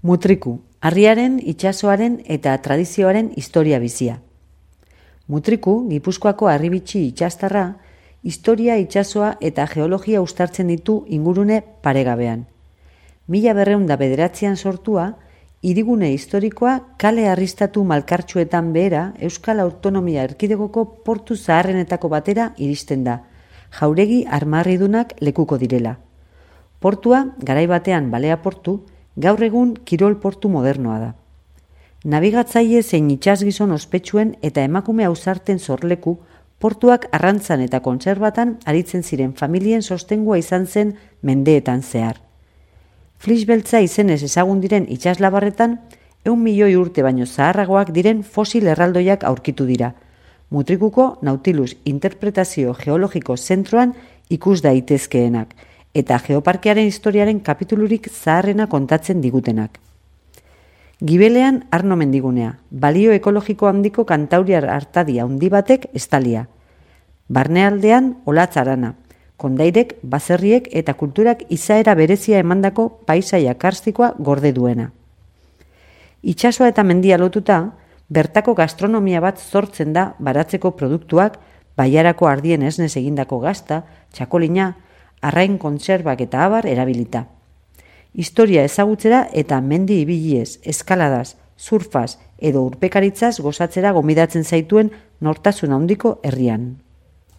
Mutriku, harriaren, itsasoaren eta tradizioaren historia bizia. Mutriku, Gipuzkoako harribitxi itsastarra, historia, itsasoa eta geologia uztartzen ditu ingurune paregabean. 1909an sortua, hirigune historikoa kale harristatu malkartsuetan behera Euskal Autonomia Erkidegoko portu zaharrenetako batera iristen da, jauregi armarridunak lekuko direla. Portua, garai batean balea portu, gaur egun kirol portu modernoa da. Nabigatzaile zein itsasgizon ospetsuen eta emakume ausarten sorleku, portuak arrantzan eta kontserbatan aritzen ziren familien sostengua izan zen mendeetan zehar. Flix beltza izenez ezagun diren itsaslabarretan, 100 milioi urte baino zaharragoak diren fosil erraldoiak aurkitu dira. Mutrikuko Nautilus Interpretazio Geologiko Zentroan ikus daitezkeenak, eta geoparkearen historiaren kapitulurik zaharrena kontatzen digutenak. Gibelean Arno mendigunea, balio ekologiko handiko kantauriar artadi handi batek estalia. Barnealdean Olatz arana, kondairek, baserriek eta kulturak izaera berezia emandako paisaia karstikoa gorde duena. Itsasoa eta mendia lotuta, bertako gastronomia bat sortzen da baratzeko produktuak, baiarako ardien esnez egindako gazta, txakolina, arrain kontserbak eta abar erabilita. Historia ezagutzera eta mendi ibiliez, eskaladaz, surfaz edo urpekaritzaz gozatzera gomidatzen zaituen nortasun handiko herrian.